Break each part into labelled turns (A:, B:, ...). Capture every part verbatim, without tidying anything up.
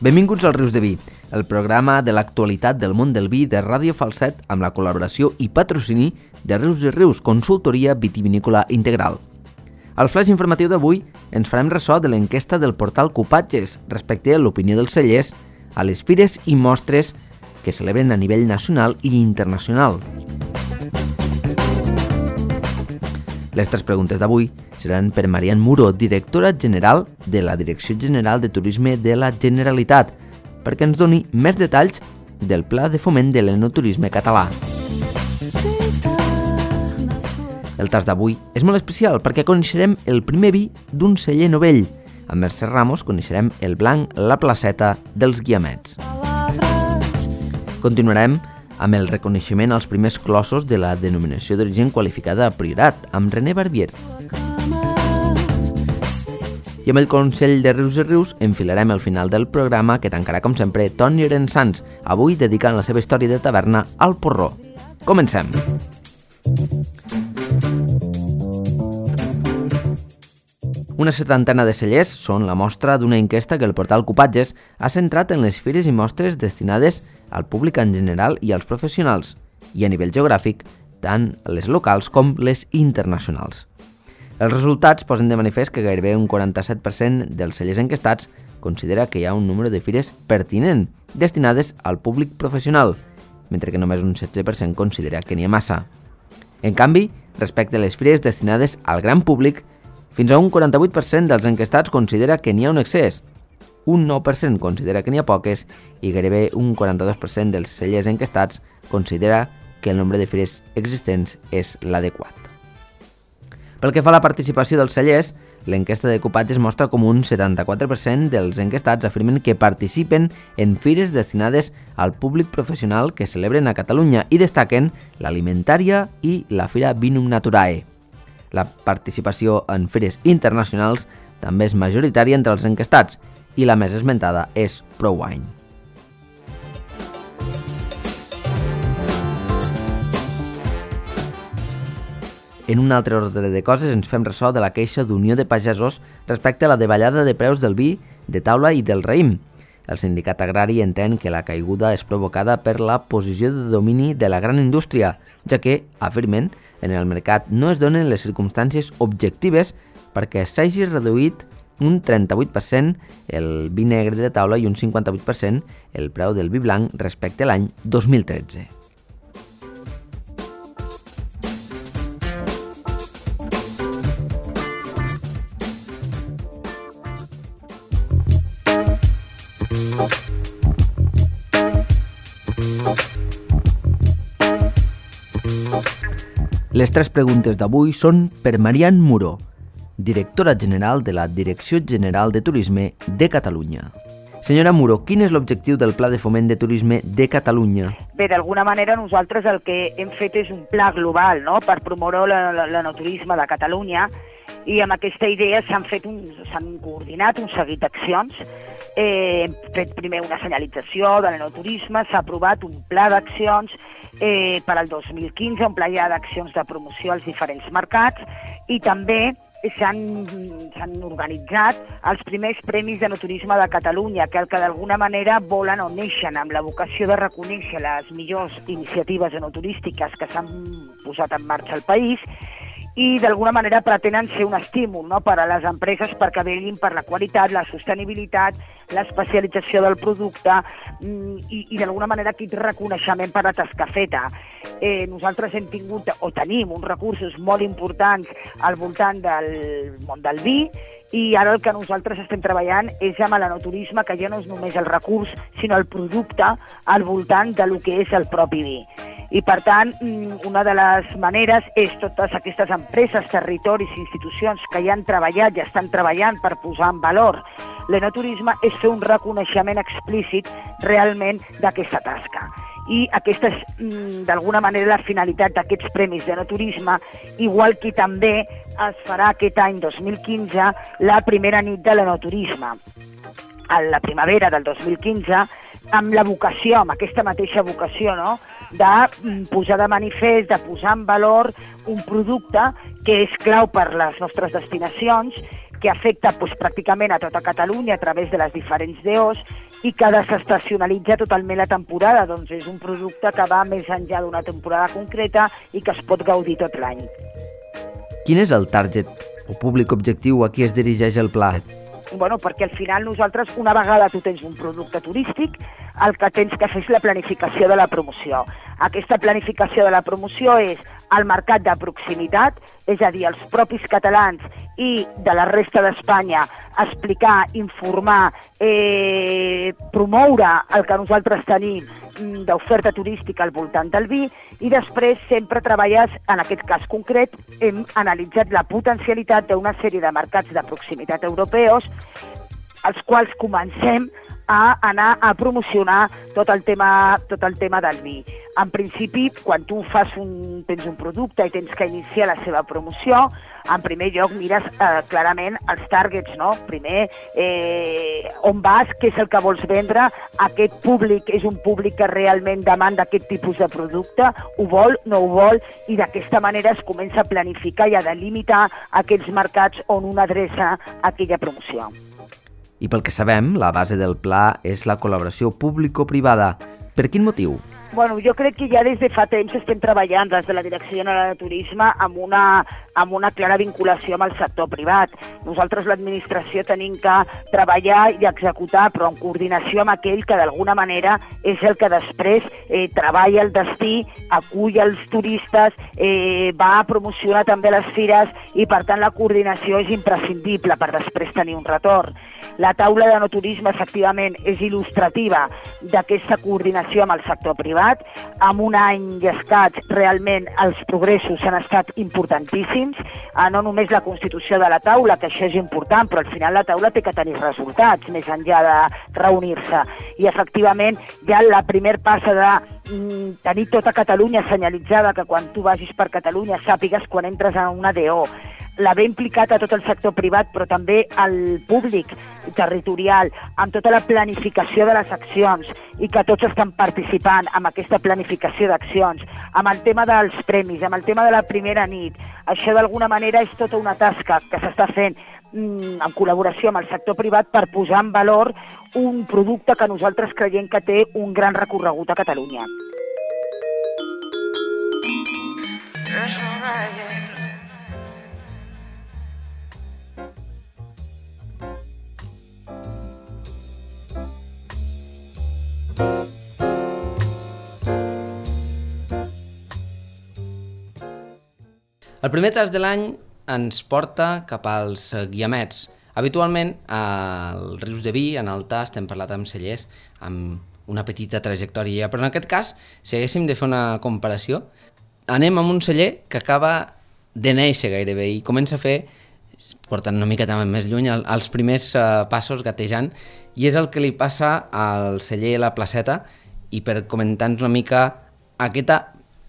A: Benvinguts al Rius de Vi, el programa de l'actualitat del món del vi de Ràdio Falset amb la col·laboració i patrocini de Rius i Rius, consultoria vitivinícola integral. Al flash informatiu d'avui ens farem ressò de l'enquesta del portal Cupatges respecte a l'opinió dels cellers a les fires i mostres que celebren a nivell nacional i internacional. Les tres preguntes d'avui seran per Marian Muro, directora general de la Direcció General de Turisme de la Generalitat, perquè ens doni més detalls del Pla de Foment de l'Enoturisme català. El tas d'avui és molt especial perquè coneixerem el primer vi d'un celler novell. Amb Mercè Ramos coneixerem el blanc La Placeta dels Guiamets. Continuarem amb el reconeixement als primers clossos de la denominació d'origen qualificada a Priorat, amb René Barbier. I amb el Consell de Rius i Rius enfilarem el final del programa que tancarà, com sempre, Toni Rensans, avui dedicant la seva història de taverna al porró. Comencem! Una setantena de cellers són la mostra d'una enquesta que el portal Cupatges ha centrat en les fires i mostres destinades al públic en general i als professionals, i a nivell geogràfic, tant les locals com les internacionals. Els resultats posen de manifest que gairebé un quaranta-set per cent dels cellers enquestats considera que hi ha un número de fires pertinent destinades al públic professional, mentre que només un setze per cent considera que n'hi ha massa. En canvi, respecte a les fires destinades al gran públic, fins a un quaranta-vuit per cent dels enquestats considera que n'hi ha un excés, un nou per cent considera que n'hi ha poques i gairebé un quaranta-dos per cent dels cellers enquestats considera que el nombre de fires existents és l'adequat. Pel que fa a la participació dels cellers, l'enquesta de Cupatges mostra com un setanta-quatre per cent dels enquestats afirmen que participen en fires destinades al públic professional que celebren a Catalunya i destaquen l'Alimentària i la Fira Vinum Naturae. La participació en fires internacionals també és majoritària entre els enquestats i la més esmentada és ProWine. En un altre ordre de coses ens fem ressò de la queixa d'Unió de Pagesos respecte a la davallada de preus del vi, de taula i del raïm. El sindicat agrari entén que la caiguda és provocada per la posició de domini de la gran indústria, ja que, afirmen, en el mercat no es donen les circumstàncies objectives perquè s'hagi reduït un trenta-vuit per cent el vi negre de taula i un cinquanta-vuit per cent el preu del vi blanc respecte a l'any dos mil tretze. Les tres preguntes d'avui són per Marian Muro, directora general de la Direcció General de Turisme de Catalunya. Senyora Muro, quin és l'objectiu del Pla de Foment de Turisme de Catalunya?
B: Bé, d'alguna manera nosaltres el que hem fet és un pla global, no?, per promoure l'enoturisme de Catalunya, i amb aquesta idea s'han fet un, s'han coordinat un seguit d'accions. Eh, hem fet primer una senyalització de l'enoturisme, s'ha aprovat un pla d'accions eh, per al dos mil quinze, un pla ja d'accions de promoció als diferents mercats, i també s'han organitzat els primers Premis d'Enoturisme de Catalunya, que el que d'alguna manera volen o neixen amb la vocació de reconèixer les millors iniciatives enoturístiques que s'han posat en marxa al país i d'alguna manera pretenen ser un estímul, no?, per a les empreses perquè vetllin per la qualitat, la sostenibilitat, l'especialització del producte i, i d'alguna manera aquest reconeixement per la tasca feta. Eh, nosaltres hem tingut o tenim uns recursos molt importants al voltant del món del vi i ara el que nosaltres estem treballant és amb l'enoturisme, que ja no és només el recurs, sinó el producte al voltant del que és el propi vi. I, per tant, una de les maneres és totes aquestes empreses, territoris i institucions que ja han treballat i estan treballant per posar en valor l'enoturisme, és fer un reconeixement explícit realment d'aquesta tasca. I aquesta és, d'alguna manera, la finalitat d'aquests Premis d'Enoturisme, igual que també es farà aquest any dos mil quinze la primera nit de l'enoturisme. A la primavera del dos mil quinze, amb la vocació, amb aquesta mateixa vocació, no?, de posar de manifest, de posar en valor un producte que és clau per les nostres destinacions, que afecta doncs, pràcticament a tota Catalunya a través de les diferents D Os i que desestacionalitza totalment la temporada, doncs és un producte que va més enllà d'una temporada concreta i que es pot gaudir tot l'any.
A: Quin és el target o públic objectiu a qui es dirigeix el pla?
B: Bueno, perquè al final nosaltres, una vegada tu tens un producte turístic, el que tens que fer és la planificació de la promoció. Aquesta planificació de la promoció és el mercat de proximitat, és a dir, els propis catalans i de la resta d'Espanya, explicar, informar, eh, promoure el que nosaltres tenim d'oferta turística al voltant del vi, i després sempre treballes, en aquest cas concret, hem analitzat la potencialitat d'una sèrie de mercats de proximitat europeus, els quals comencem a anar a promocionar tot el tema, tot el tema del vi. En principi, quan tu fas un, tens un producte i tens que iniciar la seva promoció, en primer lloc mires eh, clarament els targets, no? Primer, eh, on vas, què és el que vols vendre, aquest públic és un públic que realment demanda aquest tipus de producte, ho vol, no ho vol, i d'aquesta manera es comença a planificar i a delimitar aquells mercats on una adreça aquella promoció.
A: I pel que sabem, la base del pla és la col·laboració público-privada. Per quin motiu?
B: Bueno, jo crec que ja des de fa temps estem treballant des de la Direcció General de Turisme amb una, amb una clara vinculació amb el sector privat. Nosaltres, l'administració, tenim que treballar i executar, però en coordinació amb aquell que d'alguna manera és el que després eh, treballa el destí, acull els turistes, eh, va a promocionar també les fires i, per tant, la coordinació és imprescindible per després tenir un retorn. La taula de no turisme, efectivament, és il·lustrativa d'aquesta coordinació amb el sector privat. En un any i escaig, realment, els progressos han estat importantíssims. No només la constitució de la taula, que això és important, però al final la taula té que tenir resultats, més enllà de reunir-se. I, efectivament, ja la primer passa de tenir tota Catalunya senyalitzada, que quan tu vagis per Catalunya sàpigues quan entres a una D O, l'haver implicat a tot el sector privat, però també al públic territorial, amb tota la planificació de les accions i que tots estan participant en aquesta planificació d'accions, amb el tema dels premis, amb el tema de la primera nit. Això d'alguna manera és tota una tasca que s'està fent en col·laboració amb el sector privat per posar en valor un producte que nosaltres creiem que té un gran recorregut a Catalunya.
A: El primer tras de l'any ens porta cap als Guiamets. Habitualment, als rius de vi, en altar, estem parlant amb cellers, amb una petita trajectòria, però en aquest cas, si haguéssim de fer una comparació, anem amb un celler que acaba de néixer gairebé i comença a fer, portant una mica també més lluny, els primers uh, passos gatejant, i és el que li passa al celler La Placeta. I per comentar-nos una mica aquesta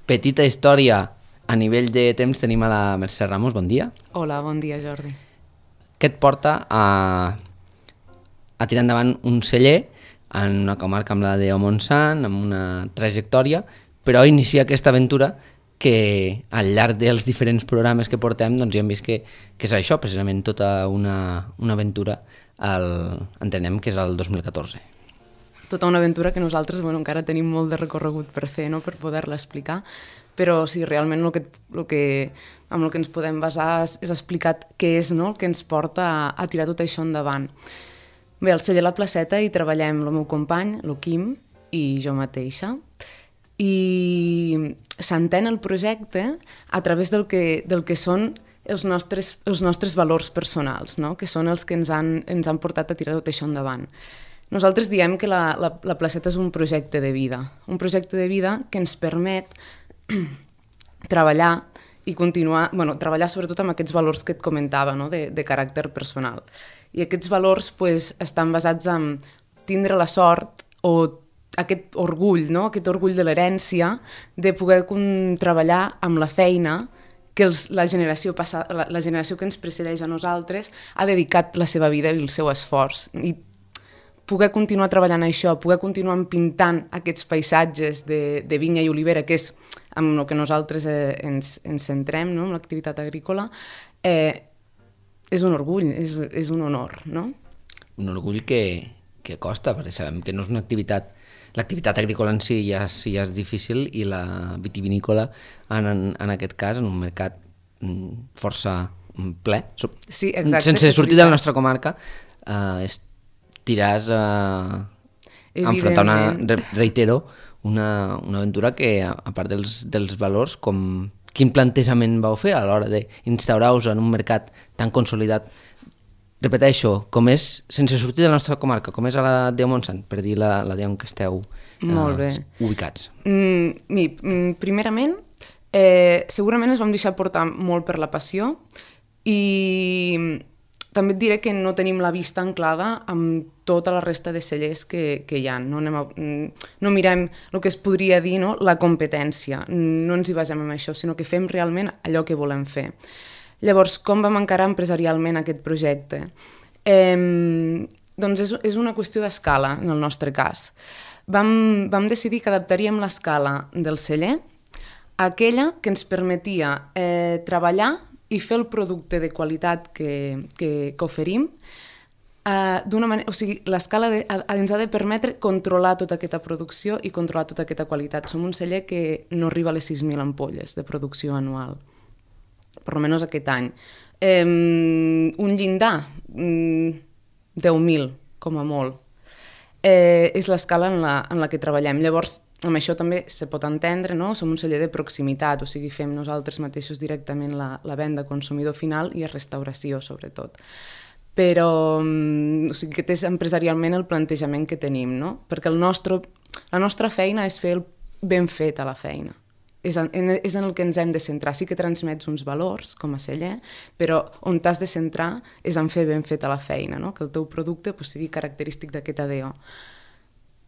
A: petita història a nivell de temps, tenim a la Mercè Ramos. Bon dia.
C: Hola, bon dia, Jordi.
A: Què et porta a, a tirar endavant un celler en una comarca amb la de Montsant, amb una trajectòria, però iniciar aquesta aventura que al llarg dels diferents programes que portem doncs ja hem vist que, que és això, precisament tota una, una aventura, el, entenem que és el dos mil catorze.
C: Tota una aventura que nosaltres bueno, encara tenim molt de recorregut per fer, no? Per poder-la explicar, però sí, realment el que, el que, amb el que ens podem basar és, és explicar què és, no? El que ens porta a, a tirar tot això endavant. Bé, al celler La Placeta hi treballem el meu company, el Quim, i jo mateixa, i s'entén el projecte a través del que, del que són els nostres, els nostres valors personals, no? Que són els que ens han, ens han portat a tirar tot això endavant. Nosaltres diem que la, la, la Placeta és un projecte de vida, un projecte de vida que ens permet treballar i continuar, bueno, treballar sobretot amb aquests valors que et comentava, no? de, de caràcter personal. I aquests valors pues, estan basats en tindre la sort o aquest orgull, no? Aquest orgull de l'herència, de poder treballar amb la feina que els, la, generació passa, la, la generació que ens precedeix a nosaltres ha dedicat la seva vida i el seu esforç. I poder continuar treballant això, poder continuar pintant aquests paisatges de, de vinya i olivera, que és amb el que nosaltres eh, ens, ens centrem, no? Amb l'activitat agrícola, eh, és un orgull, és, és un honor, no?
A: Un orgull que, que costa, perquè sabem que no és una activitat... L'activitat agrícola en si ja, sí ja és difícil i la vitivinícola, en, en, en aquest cas, en un mercat força ple,
C: sí, exacte,
A: sense sortir de la nostra comarca, eh, estiràs a enfrontar una, reitero, una, una aventura que, a part dels, dels valors, com quin plantejament vau fer a l'hora d'instaurar-vos en un mercat tan consolidat, repeteixo, com és, sense sortir de la nostra comarca, com és a la Déu Montsant, per dir la, la Déu en què esteu eh, ubicats?
C: Mm, mi, primerament, eh, segurament ens vam deixar portar molt per la passió i també et diré que no tenim la vista anclada amb tota la resta de cellers que, que hi ha. No, anem a, no mirem el que es podria dir, no? La competència, no ens hi basem en això, sinó que fem realment allò que volem fer. Llavors, com vam encarar empresarialment aquest projecte? Eh, doncs és, és una qüestió d'escala, en el nostre cas. Vam, vam decidir que adaptaríem l'escala del celler a aquella que ens permetia eh, treballar i fer el producte de qualitat que, que, que oferim eh, d'una manera... O sigui, l'escala de, ens ha de permetre controlar tota aquesta producció i controlar tota aquesta qualitat. Som un celler que no arriba a les sis mil ampolles de producció anual, per almenys aquest any. Eh, un llindar, mm, deu mil, com a molt. Eh, és l'escala en, la, en la que treballem. Llavors, amb això també se pot entendre, no? Som un celler de proximitat, o sigui, fem nosaltres mateixos directament la, la venda a consumidor final i a restauració, sobretot. Però, o sigui, aquest és empresarialment el plantejament que tenim, no? Perquè el nostre, la nostra feina és fer el ben fet a la feina. És en, és en el que ens hem de centrar. Sí que transmets uns valors com a celler, però on t'has de centrar és en fer ben feta la feina, no? Que el teu producte pues, sigui característic d'aquest A D O.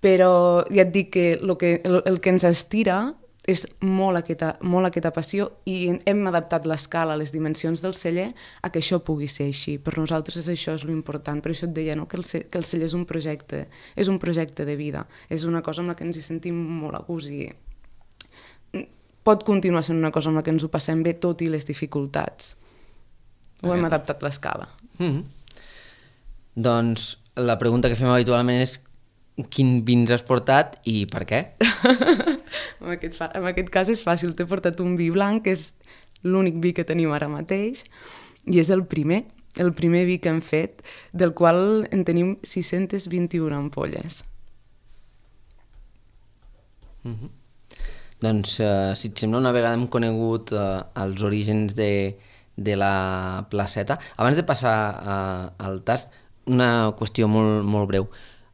C: Però ja et dic que el que, el, el que ens estira és molt aquesta, molt aquesta passió i hem adaptat l'escala, les dimensions del celler a que això pugui ser així. Per nosaltres és això és l'important. Per això et deia, no? que, el, que el celler és un projecte, és un projecte de vida. És una cosa amb la que ens hi sentim molt a gust i pot continuar sent una cosa amb la que ens ho passem bé tot i les dificultats. Ho hem adaptat l'escala.
A: Mm-hmm. Doncs la pregunta que fem habitualment és quin vins has portat i per què?
C: en, aquest fa, en aquest cas és fàcil. T'he portat un vi blanc, que és l'únic vi que tenim ara mateix, i és el primer, el primer vi que hem fet, del qual en tenim sis-centes vint-i-una ampolles.
A: Mm-hmm. Doncs, eh, si et sembla, una vegada hem conegut eh, els orígens de, de la placeta. Abans de passar eh, al tast, una qüestió molt, molt breu.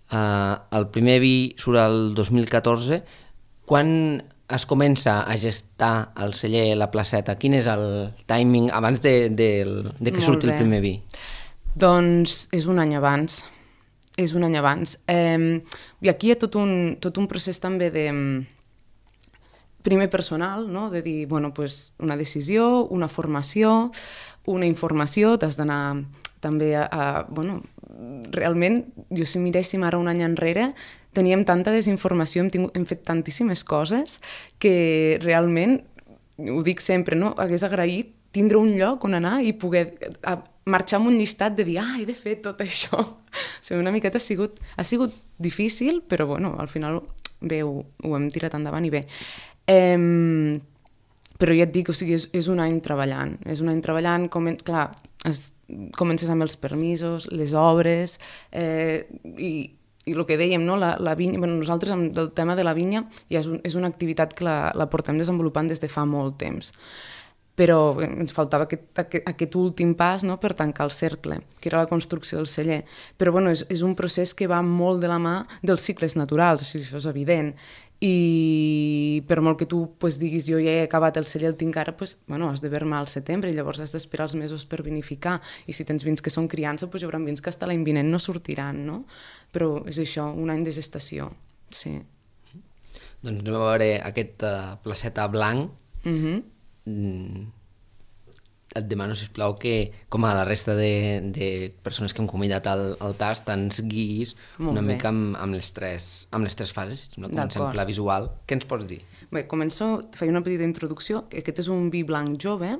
A: Eh, el primer vi surt el dos mil catorze. Quan es comença a gestar al celler la placeta? Quin és el timing abans de, de, de que surti el primer vi?
C: Doncs és un any abans. És un any abans. Eh, I aquí hi ha tot un, tot un procés també de... primer personal, no? De dir, bueno, pues una decisió, una formació, una informació, t'has d'anar també a, a... Bueno, realment, jo si miréssim ara un any enrere, teníem tanta desinformació, hem, tingut, hem fet tantíssimes coses que realment, ho dic sempre, no? Hagués agraït tindre un lloc on anar i poder a, marxar amb un llistat de dir, ah, he de fer tot això. O sigui, una miqueta ha sigut, ha sigut difícil, però bueno, al final bé, ho, ho hem tirat endavant i bé. Eh, però ja et dic, o sigui, és, és un any treballant, és un any treballant, comen clar, es, comences amb els permisos, les obres, eh, i, i el que dèiem, no? la, la vinya, bueno, nosaltres amb el tema de la vinya ja és, un, és una activitat que la, la portem desenvolupant des de fa molt temps, però ens faltava aquest, aquest, aquest últim pas, no? Per tancar el cercle, que era la construcció del celler. Però bueno, és, és un procés que va molt de la mà dels cicles naturals, o sigui, això és evident. I per molt que tu pues, diguis jo ja he acabat el celler, el tinc ara, pues, bueno, has de vermar al setembre i llavors has d'esperar els mesos per vinificar, i si tens vins que són criança, pues, hi haurà vins que fins l'any vinent no sortiran, no? Però és això, un any de gestació, sí.
A: Doncs anem a veure aquest uh, placeta blanc.
C: Mm-hmm.
A: Mm. Et demano, sisplau, que, com a la resta de, de persones que hem convidat al, al tast, ens guiïs una bé. mica amb, amb, les tres, amb les tres fases. No? Comencem per la visual. Què ens pots dir?
C: Bé, començo, faig una petita introducció. Aquest és un vi blanc jove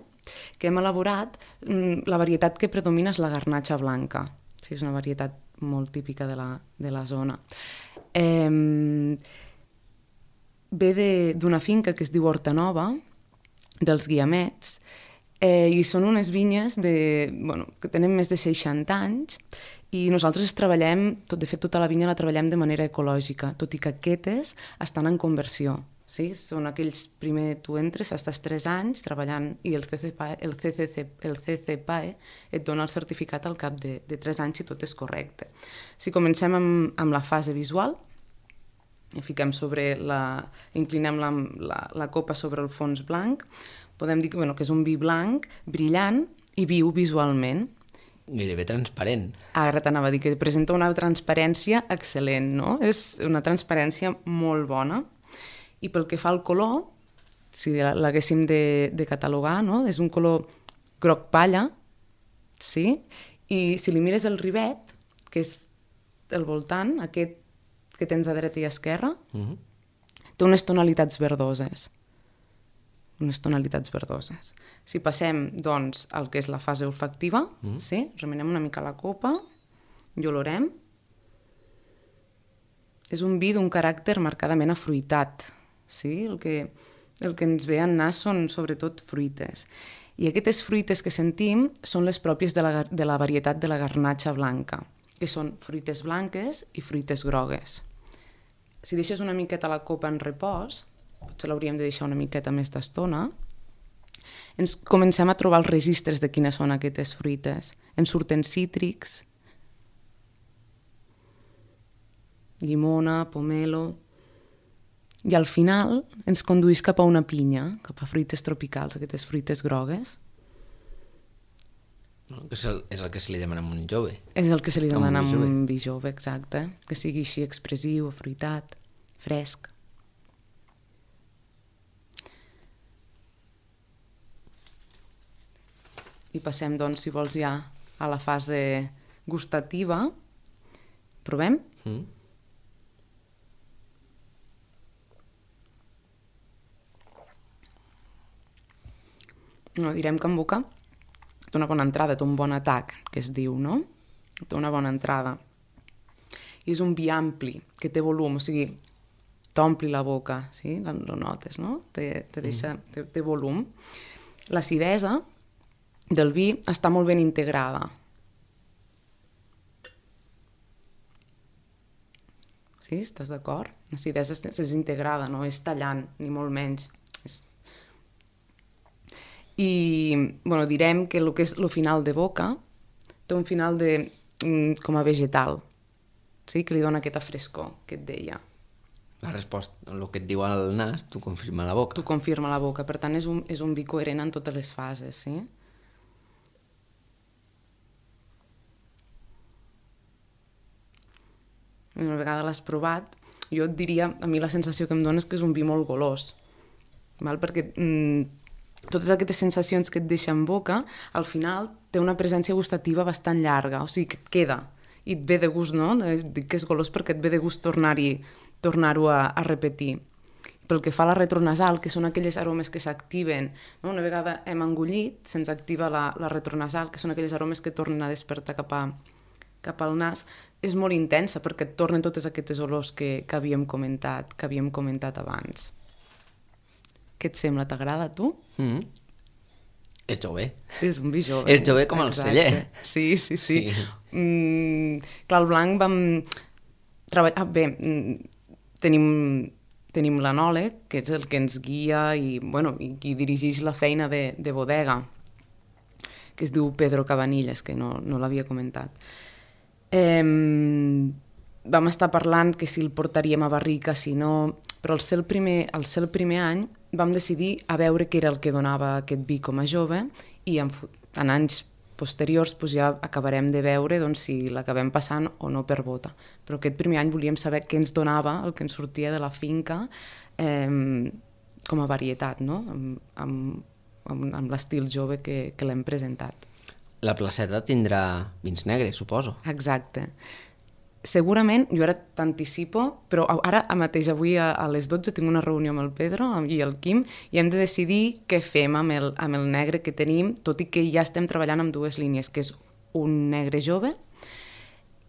C: que hem elaborat. La varietat que predomina és la garnatxa blanca. Sí, és una varietat molt típica de la, de la zona. Eh, ve d'una finca que es diu Horta Nova, dels Guiamets, eh, i són unes vinyes de, bueno, que tenen més de seixanta anys, i nosaltres treballem, tot, de fet tota la vinya la treballem de manera ecològica, tot i que aquestes estan en conversió. Sí? Són aquells, primer tu entres, estàs tres anys treballant i el C C P A E, el C C C, el C C P A E et dona el certificat al cap de, de tres anys si tot és correcte. Si comencem amb, amb la fase visual, i fiquem sobre la, inclinem la, la, la copa sobre el fons blanc, podem dir que, bueno, que és un vi blanc, brillant i viu visualment.
A: Gairebé transparent.
C: Ara t'anava a dir que presenta una transparència excel·lent, no? És una transparència molt bona. I pel que fa al color, si l'haguéssim de, de catalogar, no? És un color groc palla, sí? I si li mires el rivet, que és el voltant, aquest que tens a dreta i a esquerra, uh-huh. té unes tonalitats verdoses. unes tonalitats verdoses. Si passem, doncs, al que és la fase olfactiva, mm. sí? Remenem una mica la copa i olorem. És un vi d'un caràcter marcadament afruitat, sí? El que, el que ens ve en nas són, sobretot, fruites. I aquestes fruites que sentim són les pròpies de la, de la varietat de la garnatxa blanca, que són fruites blanques i fruites grogues. Si deixes una miqueta la copa en repòs, potser l'hauríem de deixar una miqueta més d'estona, ens comencem a trobar els registres de quines són aquestes fruites. Ens surten cítrics, llimona, pomelo, i al final ens conduís cap a una pinya, cap a fruites tropicals, aquestes fruites grogues.
A: No, que és, el, és el que se li demana a un jove.
C: És el que se li demana a un vi jove, exacte. Que sigui així expressiu, afruitat, fresc. I passem, doncs, si vols, ja a la fase gustativa. Provem? Mm. No, direm que en boca té una bona entrada, té un bon atac, que es diu, no? Té una bona entrada. I és un vi ampli, que té volum, o sigui, t'ompli la boca, sí? Lo notes, no? Te, te deixa, mm. té, té volum. L'acidesa del vi està molt ben integrada. Sí, estàs d'acord? L'acidesa és, és integrada, no és tallant, ni molt menys. És... I, bueno, direm que el que és el final de boca té un final de, com a vegetal, sí? Que li dona aquesta frescor que et deia.
A: La resposta, el que et diu al nas, tu confirma la boca.
C: Tu confirma la boca, per tant és un, és un vi coherent en totes les fases, sí? Una vegada l'has provat, jo et diria, a mi la sensació que em dona és que és un vi molt golós, val? Perquè mm, totes aquestes sensacions que et deixa en boca, al final té una presència gustativa bastant llarga, o sigui que et queda, i et ve de gust, no? Dic que és golós perquè et ve de gust tornar-hi, tornar-ho a, a repetir. Pel que fa a la retronasal, que són aquelles aromes que s'activen, no? Una vegada hem engullit, se'ns activa la, la retronasal, que són aquelles aromes que tornen a despertar cap, a, cap al nas, és molt intensa perquè et tornen totes aquestes olors que, que havíem comentat, que havíem comentat abans. Què et sembla? T'agrada a tu?
A: Mm. És jove.
C: És un vi jove.
A: És jove com el celler.
C: Sí, sí, sí. sí. Mm, clar, el blanc vam treballar... Ah, bé, tenim, tenim l'anòleg, que és el que ens guia i, bueno, i qui dirigeix la feina de, de bodega, que es diu Pedro Cabanillas, que no, no l'havia comentat. Eh, vam estar parlant que si el portaríem a barrica, si no... Però al ser el primer, al ser el primer any vam decidir a veure què era el que donava aquest vi com a jove i en, en anys posteriors doncs ja acabarem de veure doncs, si l'acabem passant o no per bota. Però aquest primer any volíem saber què ens donava, el que ens sortia de la finca, eh, com a varietat, no? amb, amb, amb, amb l'estil jove que, que l'hem presentat.
A: La placeta tindrà vins negres, suposo.
C: Exacte. Segurament, jo ara t'anticipo, però ara mateix avui a, a les dotze tinc una reunió amb el Pedro i el Quim i hem de decidir què fem amb el, amb el negre que tenim, tot i que ja estem treballant amb dues línies, que és un negre jove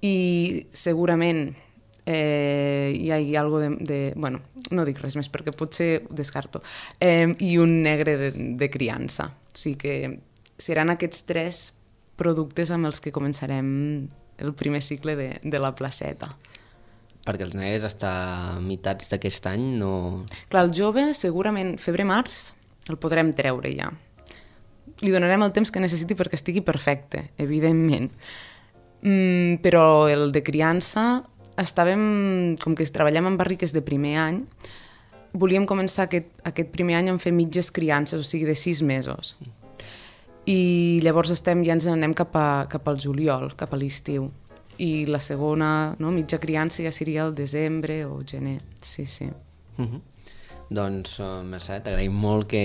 C: i segurament eh, hi ha algo de, de... Bueno, no dic res més perquè potser ho descarto. Eh, I un negre de, de criança. O sigui que seran aquests tres productes amb els que començarem el primer cicle de, de la placeta.
A: Perquè els negres hasta mitats d'aquest any no...
C: Clar, el jove segurament febrer-març el podrem treure ja. Li donarem el temps que necessiti perquè estigui perfecte, evidentment. Mm, però el de criança estàvem, com que treballem en barriques de primer any, volíem començar aquest, aquest primer any en fer mitges criances, o sigui, de sis mesos. I llavors estem, ja ens anem cap, a, cap al juliol, cap a l'estiu. I la segona, no, mitja criança ja seria el desembre o gener. Sí, sí.
A: Uh-huh. Doncs, uh, Mercè, t'agraïm molt que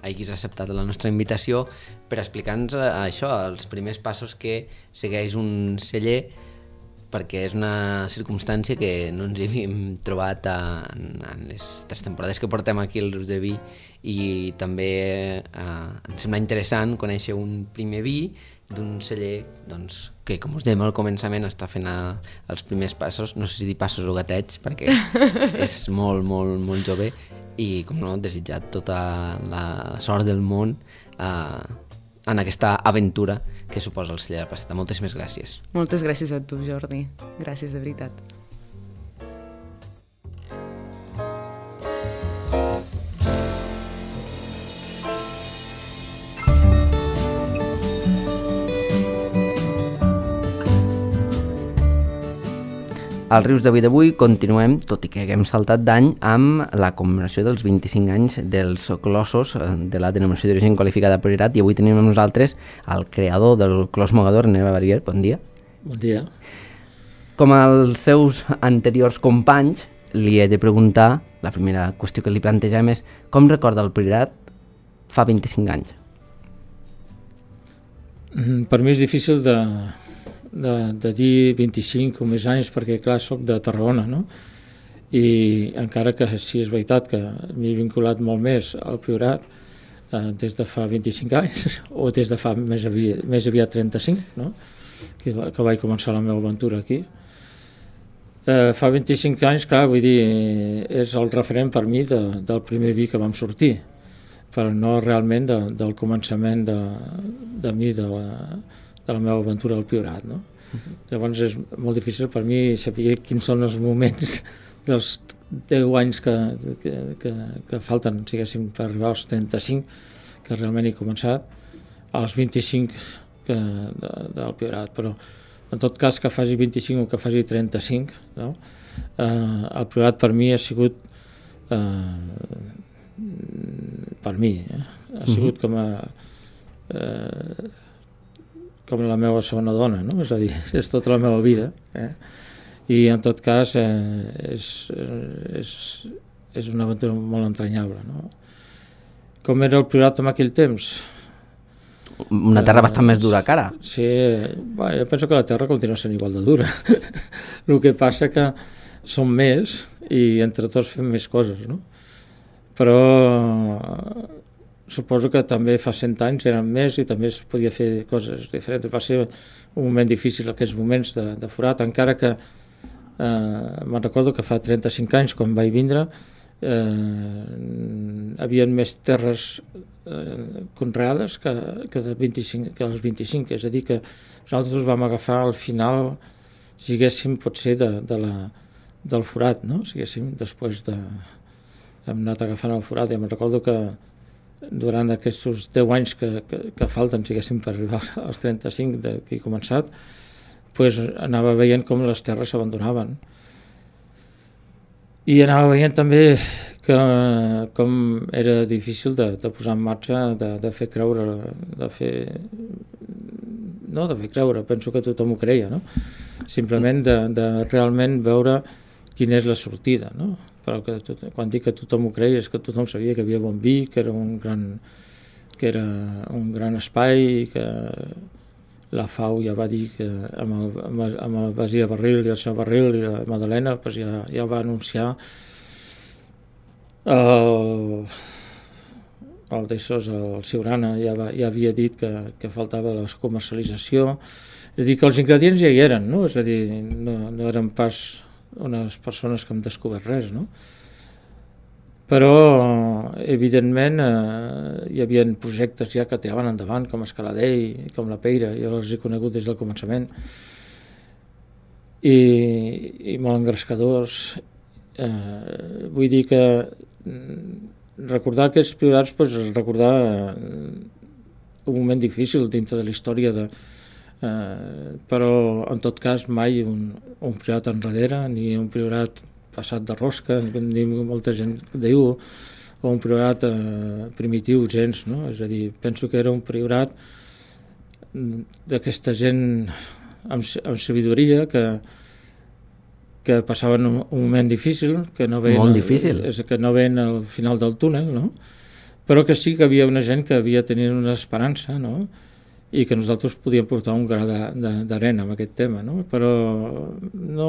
A: hagis acceptat la nostra invitació per explicar-nos uh, això, els primers passos que segueix un celler, perquè és una circumstància que no ens hi havíem trobat en, en les tres temporades que portem aquí al Rius de Vi, i també eh, ens sembla interessant conèixer un primer vi d'un celler doncs, que, com us dèiem al començament, està fent a, els primers passos, no sé si dir passos o gatets, perquè és molt, molt, molt jove, i com no, desitjar tota la, la sort del món eh, en aquesta aventura que suposa el celler de la Placeta. Moltíssimes gràcies.
C: Moltes gràcies a tu, Jordi. Gràcies, de veritat.
A: Al Rius de Vi d'avui continuem, tot i que haguem saltat d'any, amb la commemoració dels vint-i-cinc anys dels clossos de la denominació d'origen qualificada Priorat, i avui tenim amb nosaltres el creador del clos mogador, Neva Barrier. Bon dia.
D: Bon dia.
A: Com als seus anteriors companys, li he de preguntar, la primera qüestió que li plantegem és com recorda el Priorat fa vint-i-cinc anys?
D: Per mi és difícil de... De, de dir vint-i-cinc o més anys, perquè clar, soc de Tarragona, no? I encara que sí és veritat que m'he vinculat molt més al Priorat eh, des de fa vint-i-cinc anys, o des de fa més aviat, més aviat trenta-cinc, no? que, que vaig començar la meva aventura aquí. Eh, fa vint-i-cinc anys, clar, vull dir, és el referent per mi de, del primer vi que vam sortir, però no realment de, del començament de, de mi, de la de la meva aventura al Priorat, no? Uh-huh. Llavors és molt difícil per mi saber quins són els moments dels deu anys que, que, que, que falten, siguéssim, per arribar als trenta-cinc, que realment he començat, als vint-i-cinc que, de, del Priorat, però en tot cas que faci vint-i-cinc o que faci trenta-cinc, no? eh, el Priorat per mi ha sigut eh, per mi, eh? ha sigut uh-huh. com a eh, com la meva segona dona, no? És a dir, és tota la meva vida, eh? I en tot cas eh, és, és, és una aventura molt entranyable, no? Com era el Priorat en aquell temps?
A: Una terra eh, bastant més dura que ara.
D: Sí, bé, jo penso que la terra continua sent igual de dura. El que passa que som més i entre tots fem més coses, no? Però suposo que també fa cent anys eren més i també es podia fer coses diferents. Va ser un moment difícil, aquests moments de, de forat, encara que eh, me'n recordo que fa trenta-cinc anys, quan vaig vindre, eh, havia més terres eh, conreades que, que, de vint-i-cinc, que els vint-i-cinc, és a dir, que nosaltres vam agafar al final, siguéssim, potser de, de la, del forat, no? Siguéssim, després de... hem anat agafant el forat i me'n recordo que durant aquests deu anys que, que, que falten, siguéssim, per arribar als trenta-cinc de, que he començat, pues, anava veient com les terres s'abandonaven. I anava veient també que, com era difícil de, de posar en marxa, de, de fer creure, de fer... no de fer creure, penso que tothom ho creia, no? Simplement de, de realment veure quina és la sortida, no? Però que tot, quan dic que tothom ho creia és que tothom sabia que hi havia bon vi, que era un gran, que era un gran espai, que la F A U ja va dir que amb el, amb el Basia Barril i el seu Barril i la Madalena pues ja, ja va anunciar el, el d'Essos, el Siurana, ja, va, ja havia dit que, que faltava la comercialització. És a dir, que els ingredients ja hi eren, no? És a dir, no, no eren pas unes persones que han descobert res, no? Però, evidentment, eh, hi havia projectes ja que tiraven endavant, com Escaladell, com la Peira, jo els he conegut des del començament, i, i molt engrescadors. Eh, vull dir que recordar aquests priorats, pues, recordar un moment difícil dintre de la història, de, eh, però en tot cas mai un, un priorat enrere, ni un priorat passat de rosca, ni molta gent diu, o un priorat eh, primitiu, gens, no? És a dir, penso que era un priorat d'aquesta gent amb, amb sabidoria que que passaven un, un moment difícil, que no veien,
A: molt difícil.
D: El, que no veien al final del túnel, no? Però que sí que havia una gent que havia tenit una esperança, no? I que nosaltres podíem portar un gra d'arena amb aquest tema, no? Però no,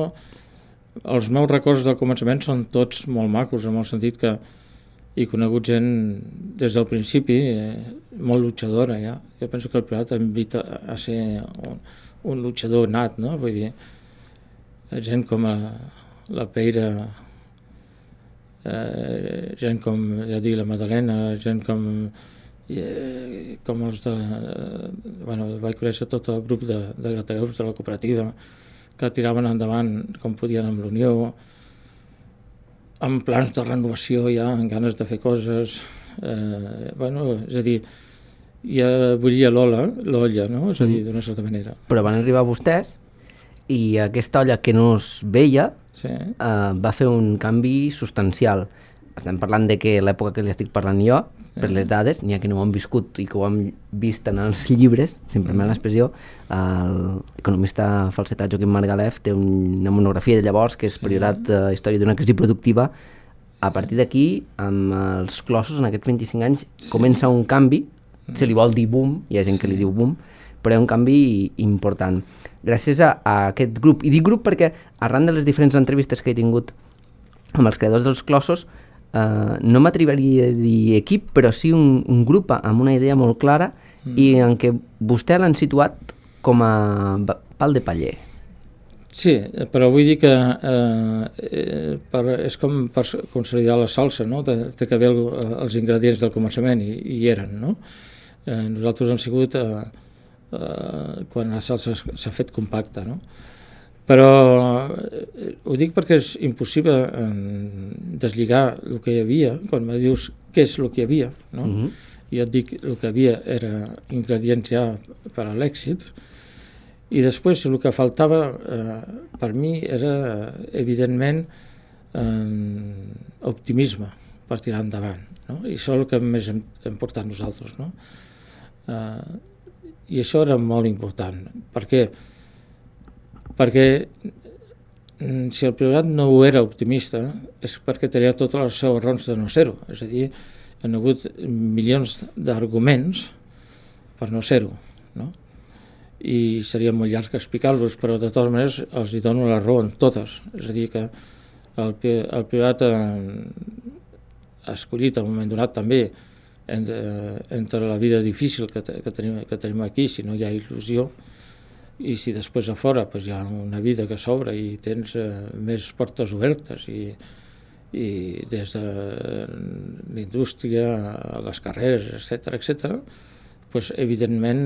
D: els meus records del començament són tots molt macos, en el sentit que he conegut gent des del principi eh, molt luchadora, ja. Jo penso que el Priorat invita a ser un, un luchador nat, no? Vull dir, gent com la, la Peira, eh, gent com, ja dic, la Madalena, gent com, eh, com els de... Eh, bueno, vaig conèixer tot el grup de, de gratallops de la cooperativa, que tiraven endavant com podien amb l'Unió, amb plans de renovació ja, amb ganes de fer coses. Eh, bueno, és a dir, ja bullia l'olla, l'olla, no? És a dir, d'una certa manera.
A: Però van arribar vostès i aquesta olla que no es veia
D: sí.
A: eh, va fer un canvi substancial. Estem parlant de que l'època que li estic parlant jo, sí. per les dades, n'hi ha que no ho han viscut i que ho han vist en els llibres, sempre mm. l'expressió, l'economista falsetat Joaquim Margalef té una monografia de llavors que és Priorat, eh, història d'una crisi productiva. A partir d'aquí, amb els clossos, en aquests vint-i-cinc anys, sí. comença un canvi, se li vol dir boom, hi ha gent sí. que li diu boom, però hi ha un canvi important. Gràcies a, a aquest grup, i dic grup perquè arran de les diferents entrevistes que he tingut amb els creadors dels clossos, eh, no m'atreviria a dir equip, però sí un, un grup amb una idea molt clara mm. i en què vostè l'han situat com a pal de paller.
D: Sí, però vull dir que eh, per, és com per consolidar la salsa, no? Té, té que haver els ingredients del començament, i, i eren, no? Eh, nosaltres hem sigut... Eh, Uh, quan la salsa s'ha fet compacta, no? Però uh, ho dic perquè és impossible uh, deslligar el que hi havia, quan me dius què és el que hi havia, no? Uh-huh. Jo et dic el que havia era ingredients ja per a l'èxit, i després el que faltava uh, per mi era evidentment uh, optimisme per tirar endavant, no? I això és el que més hem, hem portat nosaltres, no? Uh, I això era molt important. Per què? Perquè si el Priorat no ho era optimista és perquè tenia totes les seves raons de no ser-ho. És a dir, hi ha hagut milions d'arguments per no ser-ho, no? I seria molt llarg explicar-los, però de totes maneres els hi dono la raó en totes. És a dir, que el, el Priorat ha escollit al moment donat també Entre, entre la vida difícil que, que, tenim, que tenim aquí, si no hi ha il·lusió, i si després a fora pues, hi ha una vida que s'obre i tens eh, més portes obertes, i, i des de l'indústria a les carreres, etcètera, etcètera, pues, evidentment